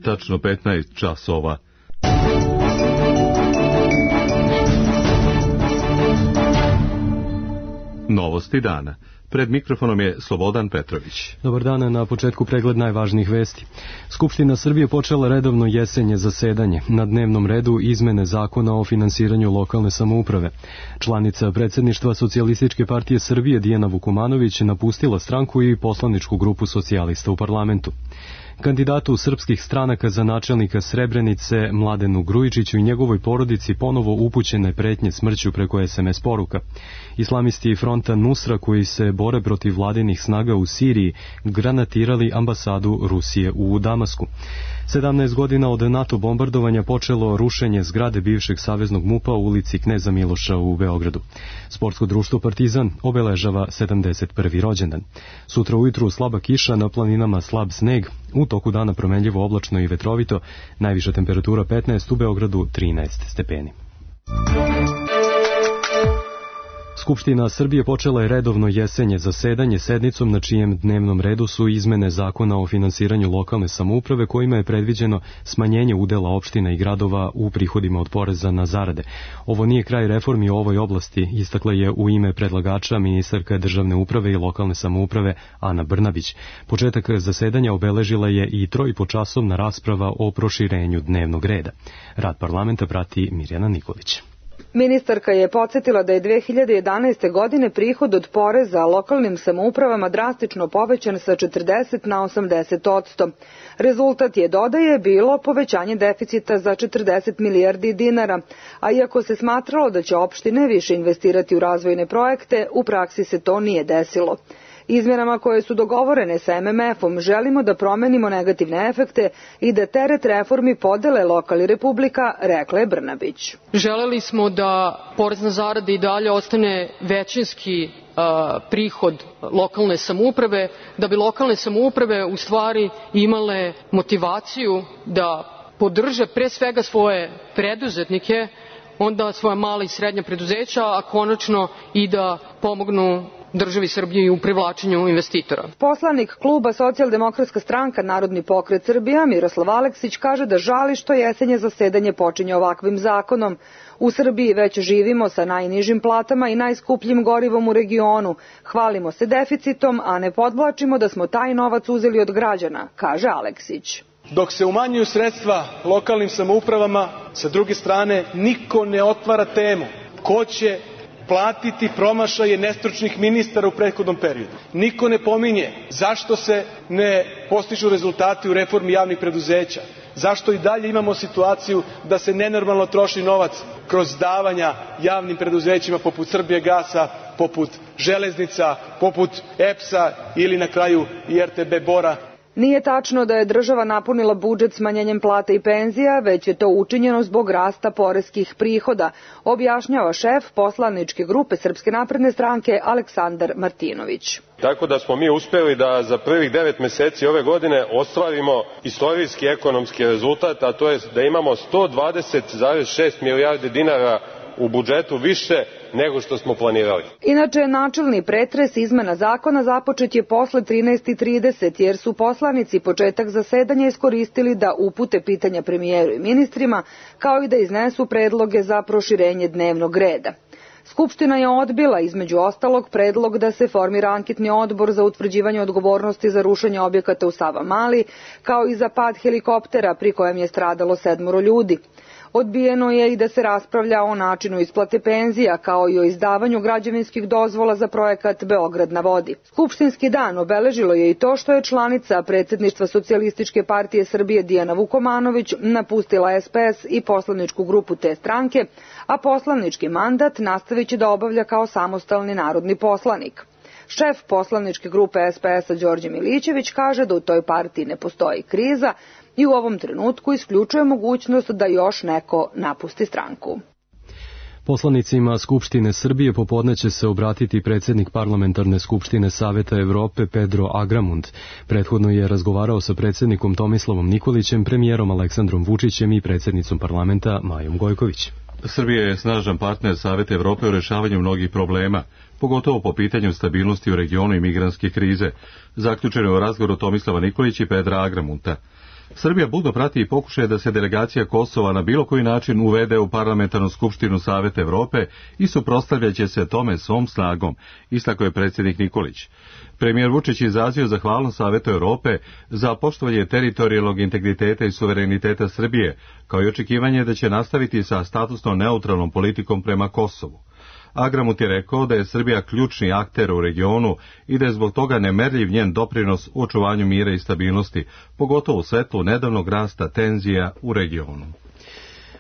tačno 15 časova. Novosti dana. Pred mikrofonom je Slobodan Petrović. Dobar dan, na početku pregled najvažnijih vesti. Skupština Srbije počela redovno jesenje zasedanje. Na dnevnom redu izmene zakona o finansiranju lokalne samouprave. Članica predsjedništva Socijalističke partije Srbije Dijana Vukomanović napustila stranku i poslaničku grupu socijalista u parlamentu. Kandidatu srpskih stranaka za načelnika Srebrenice Mladenu Grujičiću i njegovoj porodici ponovo upućene pretnje smrću preko SMS poruka. Islamisti fronta Nusra koji se bore protiv vladinih snaga u Siriji granatirali ambasadu Rusije u Damasku. 17 godina od NATO bombardovanja počelo rušenje zgrade bivšeg saveznog MUP-a u ulici Kneza Miloša u Beogradu. Sportsko društvo Partizan obeležava 71. rođendan. Sutra ujutru slaba kiša, na planinama slab sneg, u toku dana promenljivo oblačno i vetrovito, najviša temperatura 15, u Beogradu 13 stepeni. Skupština Srbije počela je redovno jesenje zasedanje sednicom na čijem dnevnom redu su izmene zakona o finansiranju lokalne samouprave kojima je predviđeno smanjenje udela opština i gradova u prihodima od poreza na zarade. Ovo nije kraj reformi u ovoj oblasti, istakla je u ime predlagača ministarka državne uprave i lokalne samouprave Ana Brnabić. Početak zasedanja obeležila je i 3,5-časovna rasprava o proširenju dnevnog reda. Rad parlamenta prati Mirjana Nikolić. Ministarka je podsjetila da je 2011. godine prihod od poreza lokalnim samoupravama drastično povećan sa 40 na 80%. Rezultat je, dodaje, bilo povećanje deficita za 40 milijardi dinara, a iako se smatralo da će opštine više investirati u razvojne projekte, u praksi se to nije desilo. Izmjenama koje su dogovorene sa MMF-om želimo da promenimo negativne efekte i da teret reformi podele lokal i republika, rekla je Brnabić. Želeli smo da porez na zarade i dalje ostane većinski prihod lokalne samouprave, da bi lokalne samouprave u stvari imale motivaciju da podrže pre svega svoje preduzetnike, onda svoja mala i srednja preduzeća, a konačno i da pomognu državi Srbije u privlačenju investitora. Poslanik kluba Socijaldemokratska stranka Narodni pokret Srbija Miroslav Aleksić kaže da žali što jesenje zasedanje počinje ovakvim zakonom. U Srbiji već živimo sa najnižim platama i najskupljim gorivom u regionu. Hvalimo se deficitom, a ne podvlačimo da smo taj novac uzeli od građana, kaže Aleksić. Dok se umanjuju sredstva lokalnim samoupravama, sa druge strane niko ne otvara temu ko će platiti promašaje nestručnih ministara u prethodnom periodu. Niko ne pominje zašto se ne postižu rezultati u reformi javnih preduzeća, zašto i dalje imamo situaciju da se nenormalno troši novac kroz davanja javnim preduzećima poput Srbijagasa, poput Železnica, poput EPS-a ili na kraju i RTB Bora. Nije tačno da je država napunila budžet smanjenjem plata i penzija, već je to učinjeno zbog rasta poreskih prihoda, objašnjava šef poslaničke grupe Srpske napredne stranke Aleksandar Martinović. Tako da smo mi uspeli da za prvih 9 meseci ove godine ostvarimo istorijski ekonomski rezultat, a to je da imamo 120,6 milijardi dinara u budžetu više nego što smo planirali. Inače, načelni pretres izmena zakona započet je posle 13:30, jer su poslanici početak zasedanja iskoristili da upute pitanja premijeru i ministrima, kao i da iznesu predloge za proširenje dnevnog reda. Skupština je odbila, između ostalog, predlog da se formira anketni odbor za utvrđivanje odgovornosti za rušenje objekata u Savamali, kao i za pad helikoptera pri kojem je stradalo 7 ljudi. Odbijeno je i da se raspravlja o načinu isplate penzija, kao i o izdavanju građevinskih dozvola za projekat Beograd na vodi. Skupštinski dan obeležilo je i to što je članica predsjedništva Socijalističke partije Srbije Dijana Vukomanović napustila SPS i poslaničku grupu te stranke, a poslanički mandat nastavit će da obavlja kao samostalni narodni poslanik. Šef poslaničke grupe SPS-a Đorđe Milićević kaže da u toj partiji ne postoji kriza i u ovom trenutku isključuje mogućnost da još neko napusti stranku. Poslanicima Skupštine Srbije popodne će se obratiti predsjednik Parlamentarne skupštine Saveta Evrope Pedro Agramunt. Prethodno je razgovarao sa predsjednikom Tomislavom Nikolićem, premijerom Aleksandrom Vučićem i predsjednicom parlamenta Majom Gojković. Srbija je snažan partner Saveta Evrope u rešavanju mnogih problema, pogotovo po pitanju stabilnosti u regionu i migrantske krize, zaključeno je u razgovoru Tomislava Nikolića i Pedra Agramunta. Srbija budno prati i pokušaje da se delegacija Kosova na bilo koji način uvede u Parlamentarnu skupštinu Saveta Evrope i suprotstavljaće se tome svom snagom, istakao je predsjednik Nikolić. Premijer Vučić izrazio zahvalnost Savetu Evrope za poštovanje teritorijalnog integriteta i suvereniteta Srbije, kao i očekivanje da će nastaviti sa statusno neutralnom politikom prema Kosovu. Agramut je rekao da je Srbija ključni akter u regionu i da je zbog toga nemerljiv njen doprinos u očuvanju mira i stabilnosti, pogotovo u svetlu nedavnog rasta tenzija u regionu.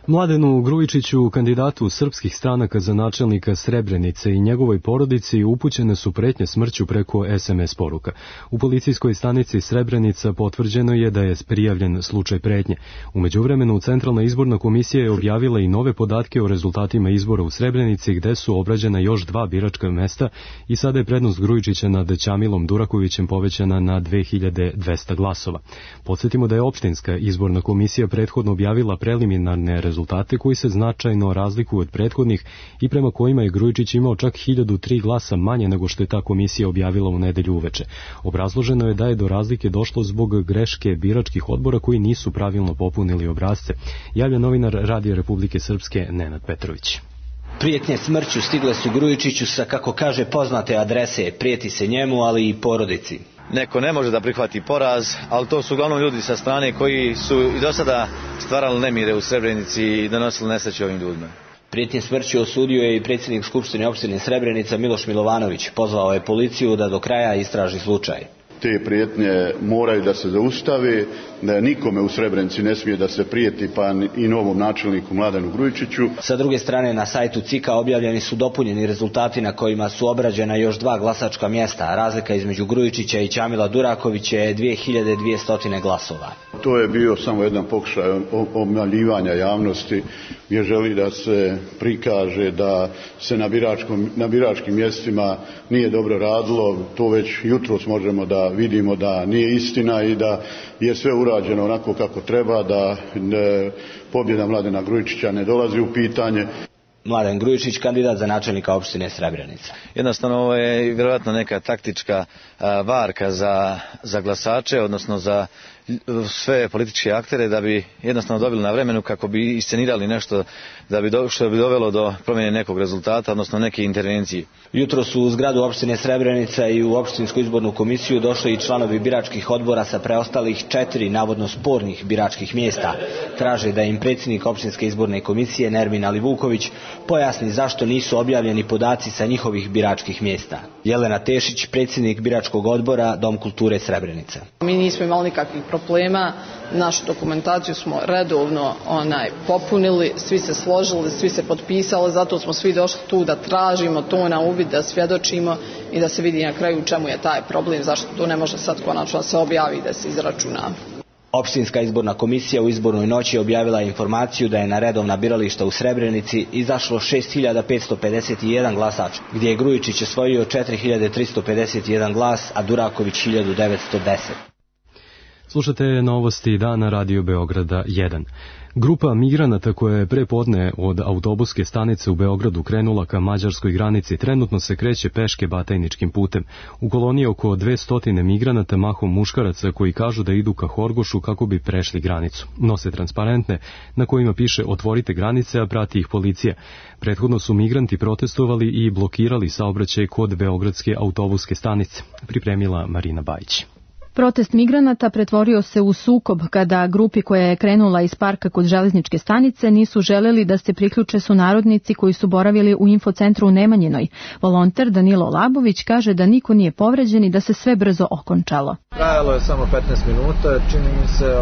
Mladenu Grujičiću, kandidatu srpskih stranaka za načelnika Srebrenice i njegovoj porodici upućene su pretnje smrću preko SMS poruka. U policijskoj stanici Srebrenica potvrđeno je da je prijavljen slučaj pretnje. U međuvremenu, Centralna izborna komisija je objavila i nove podatke o rezultatima izbora u Srebrenici, gde su obrađena još 2 biračka mesta i sada je prednost Grujičića nad Ćamilom Durakovićem povećana na 2200 glasova. Podsjetimo da je opštinska izborna komisija prethodno objavila preliminarne rezultate koji se značajno razlikuju od prethodnih i prema kojima je Grujičić imao čak 1003 glasa manje nego što je ta komisija objavila u nedelju uveče. Obrazloženo je da je do razlike došlo zbog greške biračkih odbora koji nisu pravilno popunili obrasce. Javlja novinar Radio Republike Srpske Nenad Petrović. Prijetnje smrću stigle su Grujičiću sa, kako kaže, poznate adrese. Prijeti se njemu, ali i porodici. Neko ne može da prihvati poraz, ali to su uglavnom ljudi sa strane koji su i do sada stvarali nemire u Srebrenici i donosili nesreće ovim ljudima. Prijetnje smrću osudio je i predsjednik Skupštine opštine Srebrenica Miloš Milovanović. Pozvao je policiju da do kraja istraži slučaj. Te prijetnje moraju da se zaustave, da nikome u Srebrenici ne smije da se prijeti, pa i novom načelniku Mladenu Grujičiću. Sa druge strane, na sajtu CIK-a objavljeni su dopunjeni rezultati na kojima su obrađena još 2 glasačka mjesta. Razlika između Grujičića i Ćamila Durakovića je 2200 glasova. To je bio samo jedan pokušaj obmanjivanja javnosti, gdje želi da se prikaže da se na biračkim mjestima nije dobro radilo. To već jutros možemo da vidimo da nije istina i da je sve urađeno onako kako treba, da pobjeda Mladena Grujičića ne dolazi u pitanje. Mladen Grujičić, kandidat za načelnika opštine Srebrenica. Jednostavno ovo je vjerojatno neka taktička varka za glasače, odnosno za sve političke aktere, da bi jednostavno dobili na vremenu kako bi iscenirali nešto što bi dovelo do promjene nekog rezultata, odnosno neke intervencije. Jutro su u zgradu opštine Srebrenica i u opštinsku izbornu komisiju došli i članovi biračkih odbora sa preostalih 4 navodno spornih biračkih mjesta. Traže da im predsjednik opštinske izborne komisije Nermin Alivuković pojasni zašto nisu objavljeni podaci sa njihovih biračkih mjesta. Jelena Tešić, predsjednik biračkog odbora Dom kulture Srebrenica. Mi nismo imali nikakvih problema, našu dokumentaciju smo redovno popunili, svi se složili, svi se potpisali, zato smo svi došli tu da tražimo to na uvid, da svjedočimo i da se vidi na kraju u čemu je taj problem, zašto to ne može sad konačno se objavi i da se izračuna. Opštinska izborna komisija u izbornoj noći objavila informaciju da je na redovna birališta u Srebrenici izašlo 6551 glasač, gdje je Grujičić osvojio 4351 glas, a Duraković 1910. Slušate novosti dana Radio Beograda 1. Grupa migranata koja je prepodne od autobuske stanice u Beogradu krenula ka mađarskoj granici trenutno se kreće peške Batajničkim putem. U koloniji oko 200 migranata, mahom muškaraca, koji kažu da idu ka Horgošu kako bi prešli granicu. Nose transparentne na kojima piše "Otvorite granice", a prati ih policija. Prethodno su migranti protestovali i blokirali saobraćaj kod beogradske autobuske stanice. Pripremila Marina Bajić. Protest migranata pretvorio se u sukob kada grupi koja je krenula iz parka kod železničke stanice nisu želeli da se priključe sunarodnici koji su boravili u infocentru u Nemanjinoj. Volonter Danilo Labović kaže da niko nije povređen i da se sve brzo okončalo. Trajalo je samo 15 minuta, čini mi se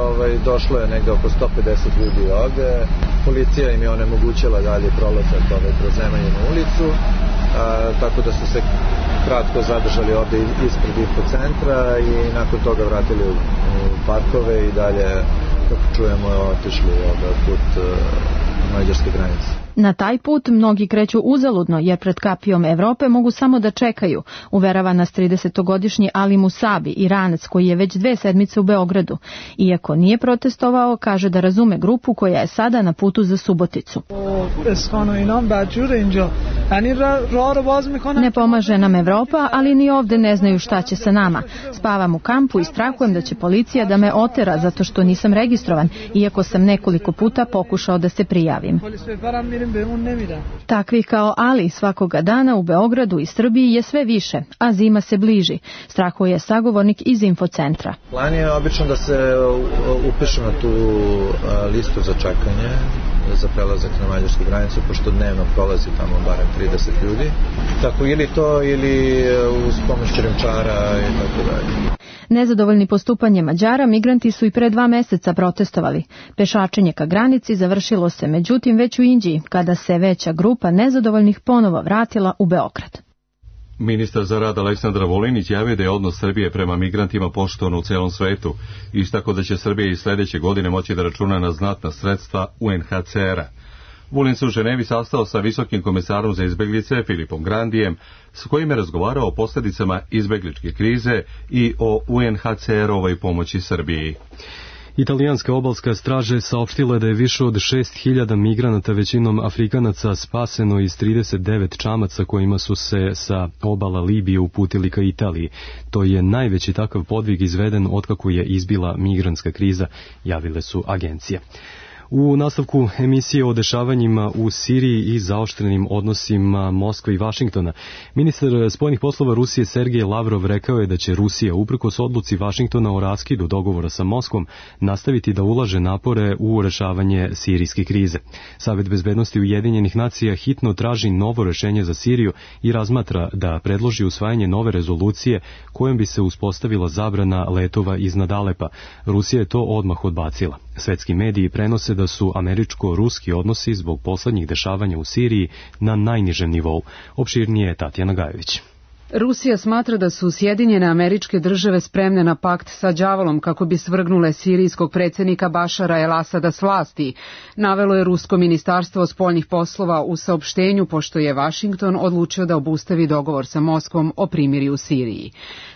došlo je negde oko 150 ljudi ovde. Policija im je onemogućila dalje prolazak kroz Nemanjinu ulicu, tako da su se kratko zadržali ovde ispred infocentra i nakon toga vratili u parkove i dalje, kako čujemo, otišli put mađarske granice. Na taj put mnogi kreću uzaludno jer pred kapijom Evrope mogu samo da čekaju, uverava nas 30-godišnji Ali Musabi, Iranac koji je već 2 sedmice u Beogradu. Iako nije protestovao, kaže da razume grupu koja je sada na putu za Suboticu. Ne pomaže nam Evropa, ali ni ovde ne znaju šta će sa nama. Spavam u kampu i strahujem da će policija da me otera zato što nisam registrovan, iako sam nekoliko puta pokušao da se prijavim. Takvih kao Ali svakoga dana u Beogradu i Srbiji je sve više, a zima se bliži, strahuje sagovornik iz infocentra. Plan je obično da se upišu na tu listu za čekanje za prelazak na mađarsku granicu, pošto dnevno prolazi tamo barem 30 ljudi. Tako ili to, ili uz pomoć krijumčara i tako dalje. Nezadovoljni postupanjem Mađara, migranti su i pre 2 meseca protestovali. Pešačenje ka granici završilo se međutim već u Inđiji, kada se veća grupa nezadovoljnih ponovo vratila u Beograd. Ministar za rad Aleksandar Vulin izjavio da je odnos Srbije prema migrantima poštovan u celom svetu, istako da će Srbija i sledeće godine moći da računa na znatna sredstva UNHCR-a. Vulin se u Ženevi sastao sa visokim komesarom za izbeglice Filipom Grandijem, s kojim je razgovarao o posljedicama izbegličke krize i o UNHCR-ovoj pomoći Srbiji. Italijanska obalska straža saopštila da je više od 6.000 migranata, većinom Afrikanaca, spaseno iz 39 čamaca kojima su se sa obala Libije uputili ka Italiji. To je najveći takav podvig izveden otkako je izbila migrantska kriza, javile su agencije. U nastavku emisije o dešavanjima u Siriji i zaoštrenim odnosima Moskve i Vašingtona, ministar spoljnih poslova Rusije Sergej Lavrov rekao je da će Rusija, uprkos odluci Vašingtona o raskidu dogovora sa Moskvom, nastaviti da ulaže napore u rešavanje sirijske krize. Savet bezbednosti Ujedinjenih nacija hitno traži novo rešenje za Siriju i razmatra da predloži usvajanje nove rezolucije kojom bi se uspostavila zabrana letova iznad Alepa. Rusija je to odmah odbacila. Svetski mediji prenose da su američko-ruski odnosi zbog poslednjih dešavanja u Siriji na najnižem nivou. Opširnije je Tatjana Gajović. Rusija smatra da su Sjedinjene Američke Države spremne na pakt sa đavolom kako bi svrgnule sirijskog predsjednika Bašara el-Asada s vlasti, navelo je Rusko ministarstvo spoljnih poslova u saopštenju, pošto je Vašington odlučio da obustavi dogovor sa Moskvom o primirju u Siriji.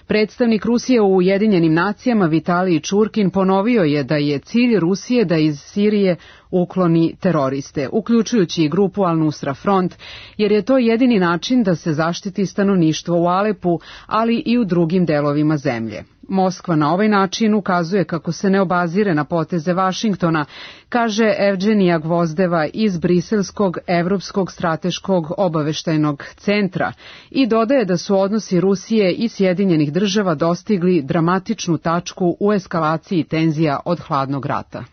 Predstavnik Rusije u Ujedinjenim nacijama Vitalij Čurkin ponovio je da je cilj Rusije da iz Sirije ukloni teroriste, uključujući i grupu Al-Nusra Front, jer je to jedini način da se zaštiti stanovništvo u Alepu, ali i u drugim delovima zemlje. Moskva na ovaj način ukazuje kako se ne obazire na poteze Vašingtona, kaže Evgenija Gvozdeva iz Briselskog Evropskog strateškog obaveštajnog centra i dodaje da su odnosi Rusije i Sjedinjenih država dostigli dramatičnu tačku u eskalaciji tenzija od hladnog rata.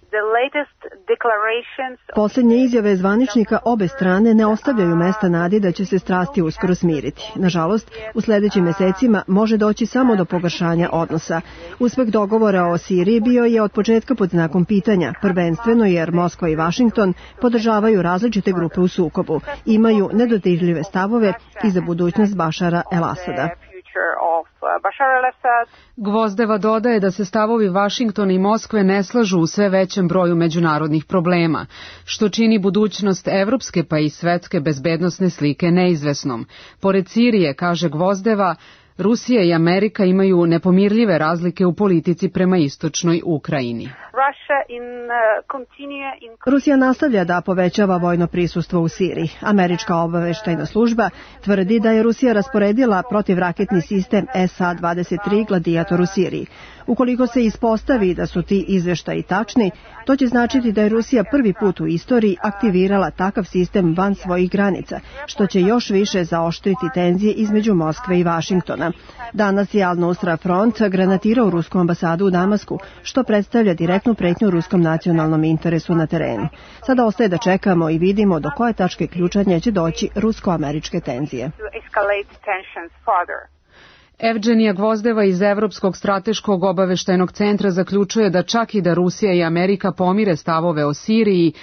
Posljednje izjave zvaničnika obe strane ne ostavljaju mesta nadi da će se strasti uskoro smiriti. Nažalost, u sledećim mesecima može doći samo do pogoršanja odnosa. Uspeh dogovora o Siriji bio je od početka pod znakom pitanja, prvenstveno jer Moskva i Vašington podržavaju različite grupe u sukobu, imaju nedodirljive stavove i za budućnost Bašara el-Asada. Gvozdeva dodaje da se stavovi Vašingtona i Moskve ne slažu u sve većem broju međunarodnih problema, što čini budućnost evropske pa i svetske bezbednosne slike neizvesnom. Pored Sirije, kaže Gvozdeva, Rusija i Amerika imaju nepomirljive razlike u politici prema istočnoj Ukrajini. Rusija nastavlja da povećava vojno prisustvo u Siriji. Američka obaveštajna služba tvrdi da je Rusija rasporedila protivraketni sistem SA-23 Gladiator u Siriji. Ukoliko se ispostavi da su ti izveštaji tačni, to će značiti da je Rusija prvi put u istoriji aktivirala takav sistem van svojih granica, što će još više zaoštriti tenzije između Moskve i Vašingtona. Danas je Al-Nusra Front granatirao rusku ambasadu u Damasku, što predstavlja direktnu pretnju ruskom nacionalnom interesu na terenu. Sada ostaje da čekamo i vidimo do koje tačke ključanja će doći rusko-američke tenzije. Evgenija Gvozdeva iz Evropskog strateškog obaveštajnog centra zaključuje da čak i da Rusija i Amerika pomire stavove o Siriji,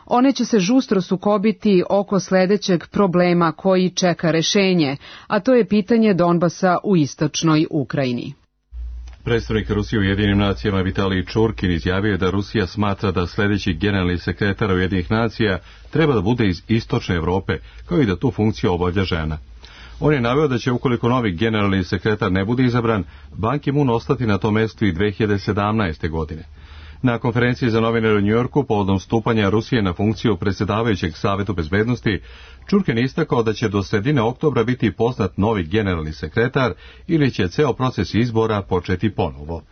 one će se žustro sukobiti oko sledećeg problema koji čeka rešenje, a to je pitanje Donbasa u istočnoj Ukrajini. Predstavnik Rusije u Ujedinjenim nacijama Vitalij Čurkin izjavio je da Rusija smatra da sljedeći generalni sekretar Ujedinjenih nacija treba da bude iz istočne Evrope, kao i da tu funkciju obavlja žena. On je naveo da će, ukoliko novi generalni sekretar ne bude izabran, Ban Ki-moon ostati na tom mestu i 2017. godine. Na konferenciji za novinare u Njujorku povodom stupanja Rusije na funkciju predsjedavajućeg Savetu bezbednosti, Čurkin je istakao da će do sredine oktobra biti poznat novi generalni sekretar ili će ceo proces izbora početi ponovo.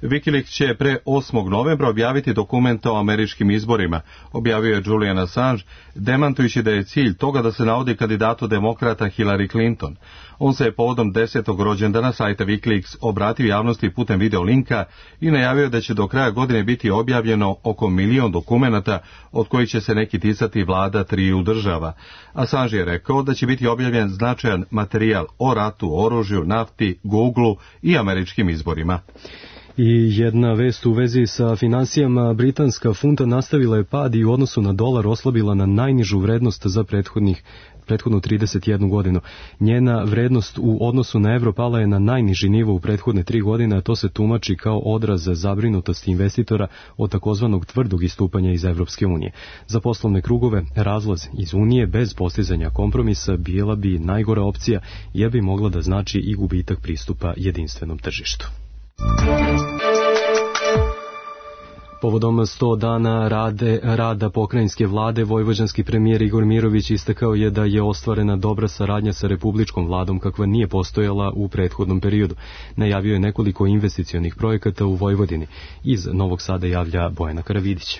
Wikileaks će pre 8. novembra objaviti dokumente o američkim izborima, objavio je Julian Assange, demantujući da je cilj toga da se navodi kandidatu demokrata Hillary Clinton. On se je povodom 10. rođendana sajta Wikileaks obratio javnosti putem video linka i najavio da će do kraja godine biti objavljeno oko 1 milion dokumenata, od kojih će se neki ticati vlada 3 država. Assange je rekao da će biti objavljen značajan materijal o ratu, oružju, nafti, Googleu i američkim izborima. I jedna vest u vezi sa finansijama, britanska funta nastavila je pad i u odnosu na dolar oslabila na najnižu vrednost za prethodnu 31 godinu. Njena vrednost u odnosu na evro pala je na najniži nivo u prethodne 3 godine, a to se tumači kao odraz zabrinutosti investitora od takozvanog tvrdog istupanja iz Evropske unije. Za poslovne krugove razlaz iz unije bez postizanja kompromisa bila bi najgora opcija, jer bi mogla da znači i gubitak pristupa jedinstvenom tržištu. Povodom 100 dana rada pokrajinske vlade, vojvođanski premijer Igor Mirović istakao je da je ostvarena dobra saradnja sa republičkom vladom kakva nije postojala u prethodnom periodu. Najavio je nekoliko investicionih projekata u Vojvodini. Iz Novog Sada javlja Bojana Karavidić.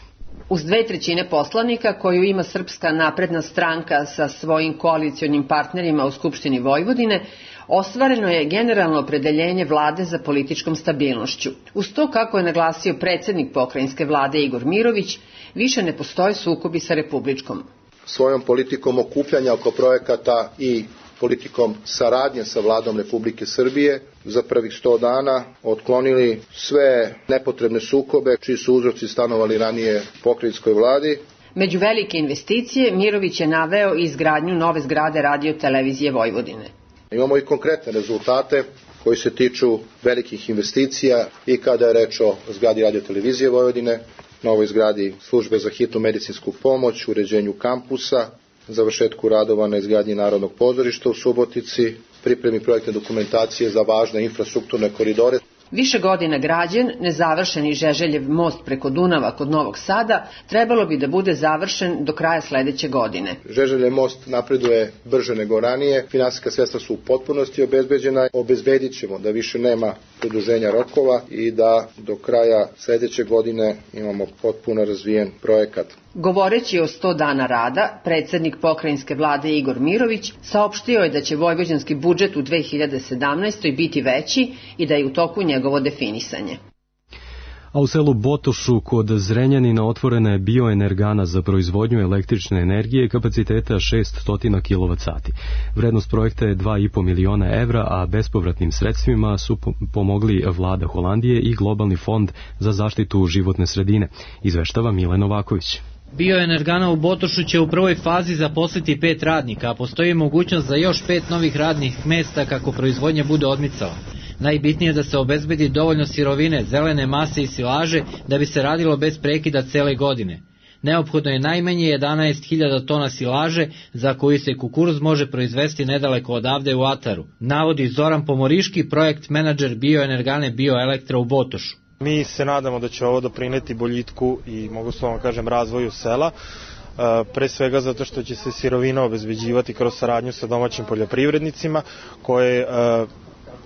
Uz 2/3 poslanika koju ima Srpska napredna stranka sa svojim koalicionim partnerima u Skupštini Vojvodine, ostvareno je generalno opredeljenje vlade za političkom stabilnošću. Uz to, kako je naglasio predsjednik pokrajinske vlade Igor Mirović, više ne postoje sukobi sa republičkom. Svojom politikom okupljanja oko projekata i politikom saradnje sa vladom Republike Srbije za prvih 100 dana otklonili sve nepotrebne sukobe čiji su uzroci stanovali ranije pokrajinskoj vladi. Među velike investicije Mirović je naveo i izgradnju nove zgrade Radio televizije Vojvodine. Imamo i konkretne rezultate koji se tiču velikih investicija i kada je reč o zgradi Radio televizije Vojvodine, novoj zgradi službe za hitnu medicinsku pomoć, uređenju kampusa, završetku radova na izgradnji Narodnog pozorišta u Subotici, pripremi projektne dokumentacije za važne infrastrukturne koridore. Više godina građen, nezavršeni Žeželjev most preko Dunava kod Novog Sada trebalo bi da bude završen do kraja sledeće godine. Žeželjev most napreduje brže nego ranije, finansijska sredstva su u potpunosti obezbeđena, obezbedit ćemo da više nema produženja rokova i da do kraja sledeće godine imamo potpuno razvijen projekat. Govoreći o 100 dana rada, predsjednik pokrajinske vlade Igor Mirović saopštio je da će vojvođanski budžet u 2017. biti veći i da je u toku njegovo definisanje. A u selu Botošu kod Zrenjanina otvorena je bioenergana za proizvodnju električne energije kapaciteta 600 kWh. Vrednost projekta je 2,5 miliona evra, a bespovratnim sredstvima su pomogli vlada Holandije i Globalni fond za zaštitu životne sredine, izveštava Mile Novaković. Bioenergana u Botošu će u prvoj fazi zaposliti 5 radnika, a postoji mogućnost za još 5 novih radnih mesta kako proizvodnja bude odmicala. Najbitnije je da se obezbedi dovoljno sirovine, zelene mase i silaže da bi se radilo bez prekida cele godine. Neophodno je najmanje 11.000 tona silaže za koju se kukuruz može proizvesti nedaleko odavde u Ataru, navodi Zoran Pomoriški, projekt menadžer bioenergane Bioelektra u Botošu. Mi se nadamo da će ovo doprineti boljitku i, mogu slovno kažem, razvoju sela, pre svega zato što će se sirovina obezbeđivati kroz saradnju sa domaćim poljoprivrednicima,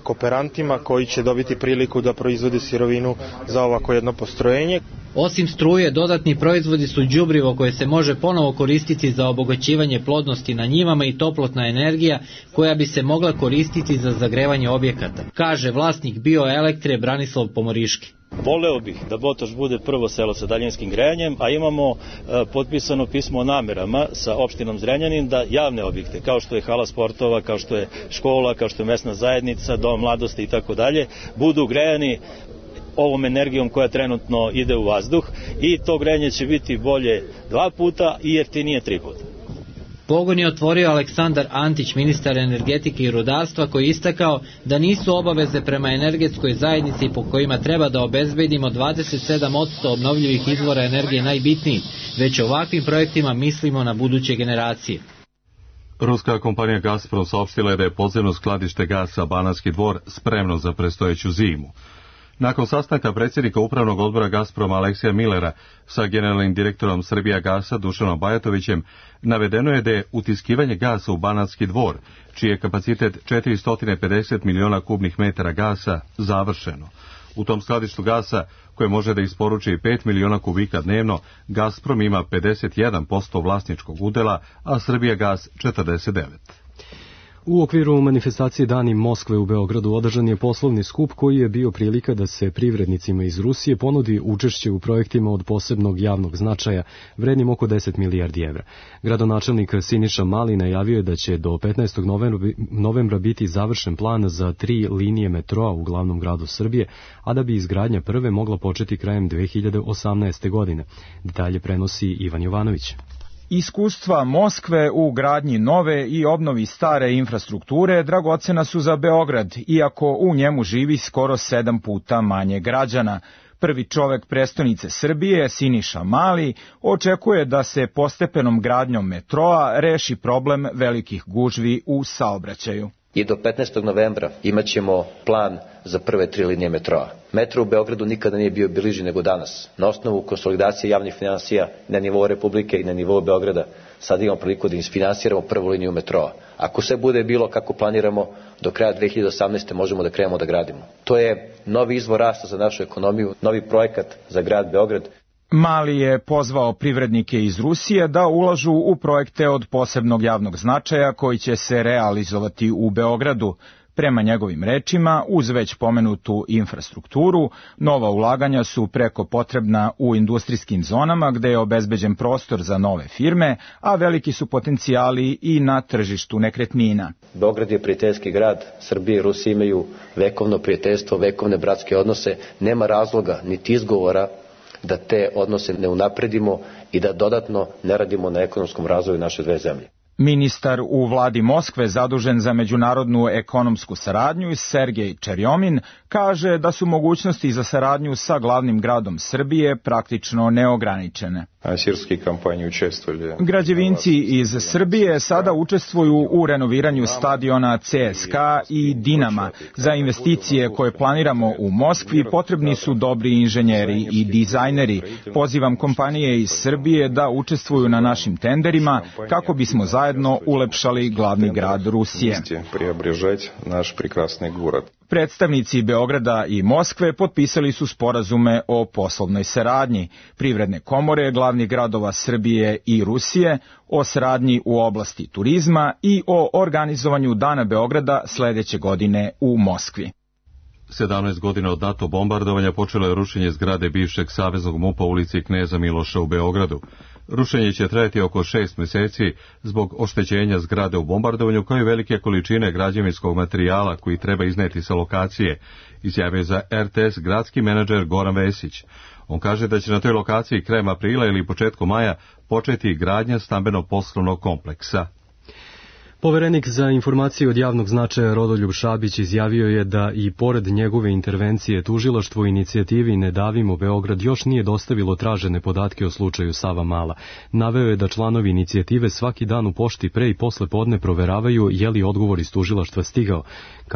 kooperantima koji će dobiti priliku da proizvode sirovinu za ovako jedno postrojenje. Osim struje, dodatni proizvodi su đubrivo koje se može ponovo koristiti za obogaćivanje plodnosti na njivama i toplotna energija koja bi se mogla koristiti za zagrevanje objekata, kaže vlasnik Bioelektre Branislav Pomoriški. Voleo bih da Botoš bude prvo selo sa daljinskim grejanjem, a imamo potpisano pismo o namerama sa opštinom Zrenjanin da javne objekte, kao što je hala sportova, kao što je škola, kao što je mesna zajednica, dom mladosti i tako dalje, budu grejani ovom energijom koja trenutno ide u vazduh i to grejanje će biti bolje 2 puta i jeftinije 3 puta. Pogon je otvorio Aleksandar Antić, ministar energetike i rudarstva, koji je istakao da nisu obaveze prema energetskoj zajednici po kojima treba da obezbedimo 27% obnovljivih izvora energije najbitniji, već ovakvim projektima mislimo na buduće generacije. Ruska kompanija Gazprom saopštila je da je podzemno skladište gasa Banatski Dvor spremno za predstojeću zimu. Nakon sastanka predsjednika upravnog odbora Gazproma Aleksija Millera sa generalnim direktorom Srbijagasa Dušanom Bajatovićem, navedeno je da je utiskivanje gasa u Banatski Dvor, čiji je kapacitet 450 miliona kubnih metara gasa, završeno. U tom skladištu gasa, koje može da isporuči 5 miliona kubika dnevno, Gazprom ima 51% vlasničkog udela, a Srbijagas 49%. U okviru manifestacije Dani Moskve u Beogradu održan je poslovni skup koji je bio prilika da se privrednicima iz Rusije ponudi učešće u projektima od posebnog javnog značaja vrednim oko 10 milijardi evra. Gradonačelnik Siniša Mali najavio je da će do 15. novembra biti završen plan za 3 linije metroa u glavnom gradu Srbije, a da bi izgradnja prve mogla početi krajem 2018. godine. Detalje prenosi Ivan Jovanović. Iskustva Moskve u gradnji nove i obnovi stare infrastrukture dragocena su za Beograd, iako u njemu živi skoro 7 puta manje građana. Prvi čovek prestonice Srbije, Siniša Mali, očekuje da se postepenom gradnjom metroa reši problem velikih gužvi u saobraćaju. I do 15. novembra imaćemo plan za prve 3 linije metroa. Metro u Beogradu nikada nije bio bliži nego danas. Na osnovu konsolidacije javnih finansija na nivou Republike i na nivou Beograda sad imamo priliku da isfinansiramo prvu liniju metroa. Ako sve bude bilo kako planiramo, do kraja 2018. možemo da krenemo da gradimo. To je novi izvor rasta za našu ekonomiju, novi projekat za grad Beograd. Mali je pozvao privrednike iz Rusije da ulažu u projekte od posebnog javnog značaja koji će se realizovati u Beogradu. Prema njegovim rečima, uz već pomenutu infrastrukturu, nova ulaganja su preko potrebna u industrijskim zonama gde je obezbeđen prostor za nove firme, a veliki su potencijali i na tržištu nekretnina. Beograd je prijateljski grad, Srbija i Rusija imaju vekovno prijateljstvo, vekovne bratske odnose, nema razloga niti izgovora da te odnose ne unapredimo i da dodatno ne radimo na ekonomskom razvoju naše dve zemlje. Ministar u vladi Moskve zadužen za međunarodnu ekonomsku saradnju Sergej Čerjomin kaže da su mogućnosti za saradnju sa glavnim gradom Srbije praktično neograničene. Građevinci iz Srbije sada učestvuju u renoviranju stadiona CSKA i Dinama. Za investicije koje planiramo u Moskvi potrebni su dobri inženjeri i dizajneri. Pozivam kompanije iz Srbije da učestvuju na našim tenderima kako bismo zajedno ulepšali glavni grad Rusije. Predstavnici Beograda i Moskve potpisali su sporazume o poslovnoj saradnji, privredne komore glavnih gradova Srbije i Rusije, o saradnji u oblasti turizma i o organizovanju Dana Beograda sledeće godine u Moskvi. 17 godina od NATO bombardovanja počelo je rušenje zgrade bivšeg saveznog MUP-a u ulici Kneza Miloša u Beogradu. Rušenje će trajati oko 6 meseci zbog oštećenja zgrade u bombardovanju kao i velike količine građevinskog materijala koji treba izneti sa lokacije, izjavio za RTS gradski menadžer Goran Vesić. On kaže da će na toj lokaciji krajem aprila ili početkom maja početi gradnja stambeno-poslovnog kompleksa. Poverenik za informacije od javnog značaja Rodoljub Šabić izjavio je da i pored njegove intervencije tužilaštvo inicijativi Ne davimo Beograd još nije dostavilo tražene podatke o slučaju Savamala. Naveo je da članovi inicijative svaki dan u pošti pre i posle podne proveravaju je li odgovor iz tužilaštva stigao.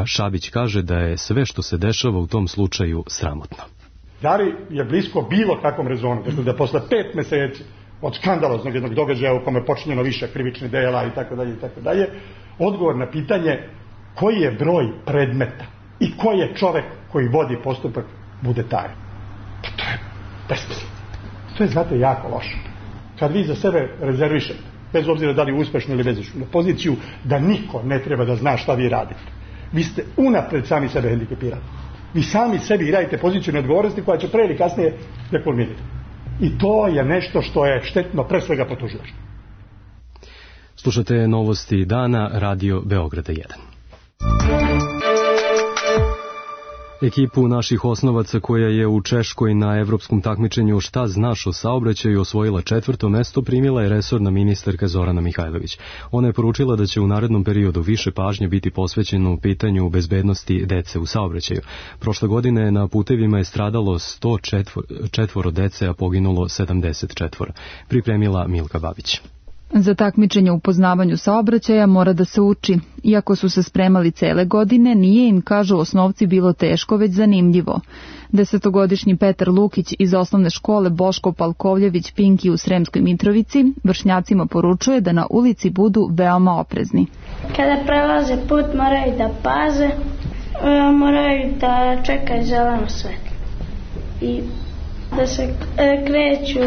Šabić kaže da je sve što se dešava u tom slučaju sramotno. Da li je blisko bilo kakvom rezonu, dakle da posle 5 meseci od skandaloznog jednog događaja u kome je počinjeno više krivičnih dela i tako dalje, odgovor na pitanje koji je broj predmeta i koji je čovek koji vodi postupak bude taj. Pa to je besmisleno. To je, znate, jako loše. Kad vi za sebe rezervišete, bez obzira da li uspešno ili bezuspešno, poziciju da niko ne treba da zna šta vi radite, vi ste unapred sami sebe hendikepirali. Vi sami sebi radite poziciju neodgovornosti koja će pre ili kasnije da kulminira. I to je nešto što je štetno pre svega po tužilaštvu. Slušate novosti dana, Radio Beograda 1. Ekipu naših osnovaca koja je u Češkoj na evropskom takmičenju Šta znaš o saobraćaju osvojila 4. mesto primila je resorna ministarka Zorana Mihajlović. Ona je poručila da će u narednom periodu više pažnje biti posvećeno pitanju bezbednosti dece u saobraćaju. Prošle godine na putevima je stradalo 104 dece, a poginulo 74. Pripremila Milka Babić. Za takmičenje u poznavanju saobraćaja mora da se uči. Iako su se spremali cele godine, nije im, kažu osnovci, bilo teško, već zanimljivo. 10-godišnji Petar Lukić iz osnovne škole Boško Palkovljević Pinki u Sremskoj Mitrovici vršnjacima poručuje da na ulici budu veoma oprezni. Kada prelaze put moraju da paze, moraju da čekaju zeleno svetlo i da se kreću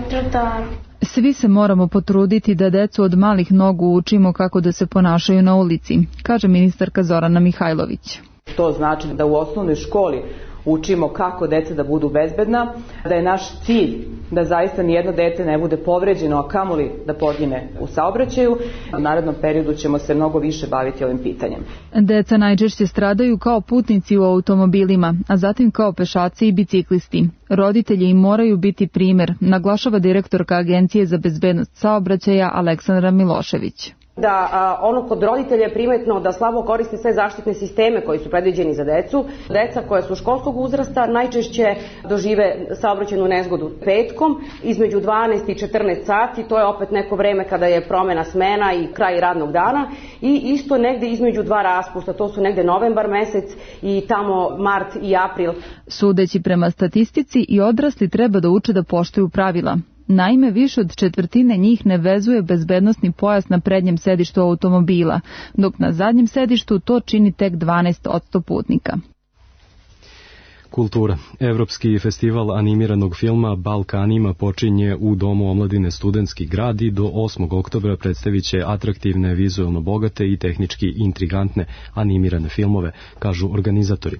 trotoarom. Svi se moramo potruditi da decu od malih nogu učimo kako da se ponašaju na ulici, kaže ministarka Zorana Mihajlović. To znači da u osnovnoj školi učimo kako deca da budu bezbedna, da je naš cilj da zaista nijedno dete ne bude povređeno, a kamoli da pogine u saobraćaju. U narednom periodu ćemo se mnogo više baviti ovim pitanjem. Deca najčešće stradaju kao putnici u automobilima, a zatim kao pešaci i biciklisti. Roditelji im moraju biti primer, naglašava direktorka Agencije za bezbednost saobraćaja Aleksandra Milošević. Da kod roditelja je primetno da slabo koriste sve zaštitne sisteme koji su predviđeni za decu. Deca koja su školskog uzrasta najčešće dožive saobraćajnu nezgodu petkom između 12 i 14 sati, to je opet neko vreme kada je promena smena i kraj radnog dana, i isto negde između dva raspusta, to su negde novembar mesec i tamo mart i april. Sudeći prema statistici, i odrasli treba da uče da poštuju pravila. Naime, više od četvrtine njih ne vezuje bezbednosni pojas na prednjem sedištu automobila, dok na zadnjem sedištu to čini tek 12% putnika. Kultura. Evropski festival animiranog filma Balkanima počinje u Domu omladine Studentski grad i do 8. oktobra predstavit će atraktivne, vizuelno bogate i tehnički intrigantne animirane filmove, kažu organizatori.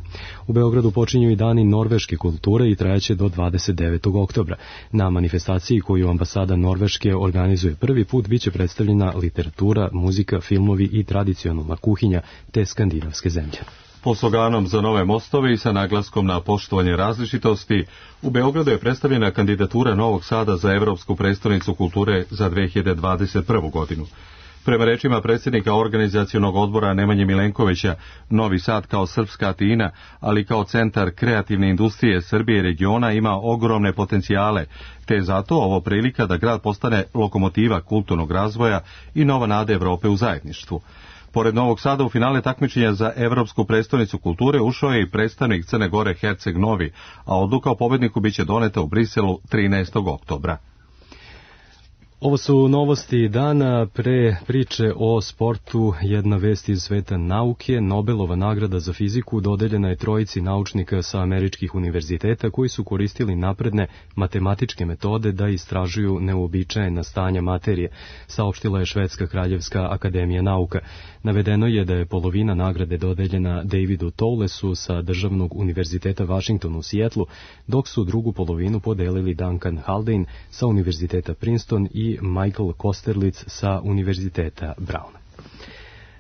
U Beogradu počinju i dani norveške kulture i trajaće do 29. oktobra. Na manifestaciji koju ambasada Norveške organizuje prvi put biće predstavljena literatura, muzika, filmovi i tradicionalna kuhinja te skandinavske zemlje. Pod sloganom Za nove mostove i sa naglaskom na poštovanje različitosti, u Beogradu je predstavljena kandidatura Novog Sada za Evropsku prestonicu kulture za 2021. godinu. Prema rečima predsjednika organizacionog odbora Nemanje Milenkovića, Novi Sad kao srpska Atina, ali kao centar kreativne industrije Srbije i regiona ima ogromne potencijale, te je zato ovo prilika da grad postane lokomotiva kulturnog razvoja i nova nada Evrope u zajedništvu. Pored Novog Sada u finale takmičenja za Evropsku prestonicu kulture ušao je i predstavnik Crne Gore Herceg Novi, a odluka o pobedniku biće doneta u Briselu 13. oktobra. Ovo su novosti dana. Pre priče o sportu jedna vest iz sveta nauke. Nobelova nagrada za fiziku dodeljena je trojici naučnika sa američkih univerziteta koji su koristili napredne matematičke metode da istražuju neuobičajena stanja materije, saopštila je Švedska kraljevska akademija nauka. Navedeno je da je polovina nagrade dodeljena Davidu Towlesu sa Državnog univerziteta Washington u Sijetlu, dok su drugu polovinu podelili Duncan Haldane sa Univerziteta Princeton i Michael Kosterlitz sa Univerziteta Brown.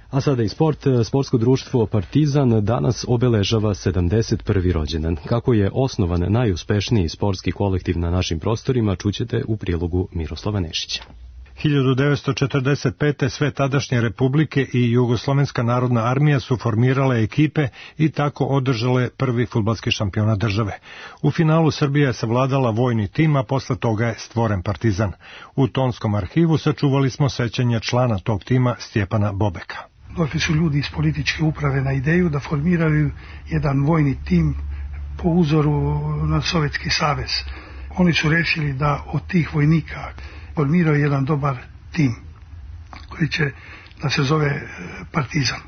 A sada i sport. Sportsko društvo Partizan danas obeležava 71. rođendan. Kako je osnovan najuspešniji sportski kolektiv na našim prostorima, čućete u prilogu Miroslava Nešića. 1945. sve tadašnje republike i Jugoslovenska narodna armija su formirale ekipe i tako održale prvi fudbalski šampionat države. U finalu Srbija je savladala vojni tim, a posle toga je stvoren Partizan. U tonskom arhivu sačuvali smo sećanja člana tog tima Stjepana Bobeka. Došli su ljudi iz političke uprave na ideju da formiraju jedan vojni tim po uzoru na Sovjetski savez. Oni su rešili da od tih vojnika formiraju jedan dobar tim koji će da se zove Partizan.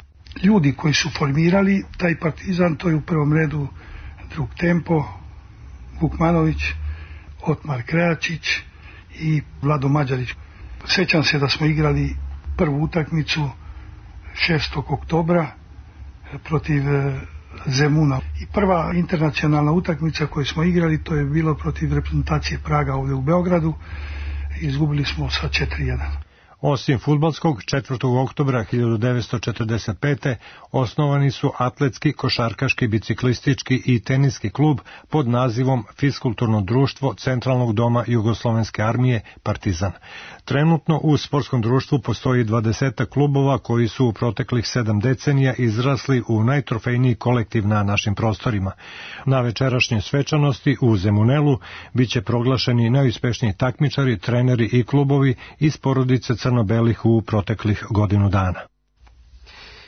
Ljudi koji su formirali taj Partizan, to je u prvom redu drug Tempo, Vukmanović, Otmar Krejačić i Vlado Mađarić. Sećam se da smo igrali prvu utakmicu 6. oktobra protiv Zemuna. I prva internacionalna utakmica koju smo igrali, to je bilo protiv reprezentacije Praga ovdje u Beogradu. Izgubili smo sa 4-1. Osim fudbalskog, 4. oktobra 1945. osnovani su atletski, košarkaški, biciklistički i teniski klub pod nazivom Fiskulturno društvo Centralnog doma Jugoslovenske armije Partizan. Trenutno u sportskom društvu postoji 20 klubova koji su u proteklih 7 decenija izrasli u najtrofejniji kolektiv na našim prostorima. Na večerašnje svečanosti u Zemunelu biće proglašeni najuspešniji takmičari, treneri i klubovi iz porodice crno-belih u proteklih godinu dana.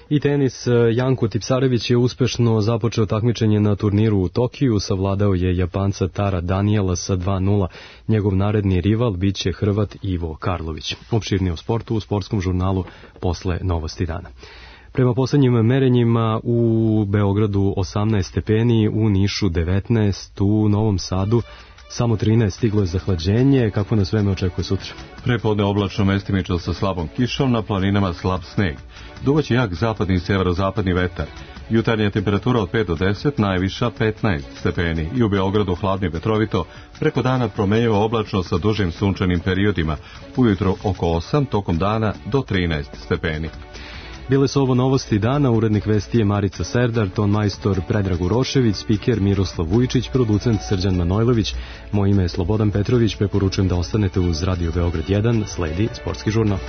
I tenis, Janko Tipsarević je uspešno započeo takmičenje na turniru u Tokiju, savladao je Japanca Tara Daniela sa 2:0. Njegov naredni rival biće Hrvat Ivo Karlović. Opširnije o sportu u sportskom žurnalu posle Novosti dana. Prema poslednjim merenjima u Beogradu 18 stepeni, u Nišu 19, u Novom Sadu samo 13, stiglo je zahlađenje. Kako nas vreme očekuje sutra? Prepodne oblačno, mestimično sa slabom kišom, na planinama slab sneg. Duvaće jak zapadni i severozapadni vetar. Jutarnja temperatura od 5 do 10, najviša 15 stepeni. I u Beogradu hladno i vetrovito, preko dana promenjivo oblačno sa dužim sunčanim periodima. Ujutro oko 8, tokom dana do 13 stepeni. Bile su ovo Novosti dana, urednik vesti je Marica Serdar, ton majstor Predrag Urošević, spiker Miroslav Vujčić, producent Srđan Manojlović. Moje ime je Slobodan Petrović, preporučujem da ostanete uz Radio Beograd 1, sledi sportski žurnal.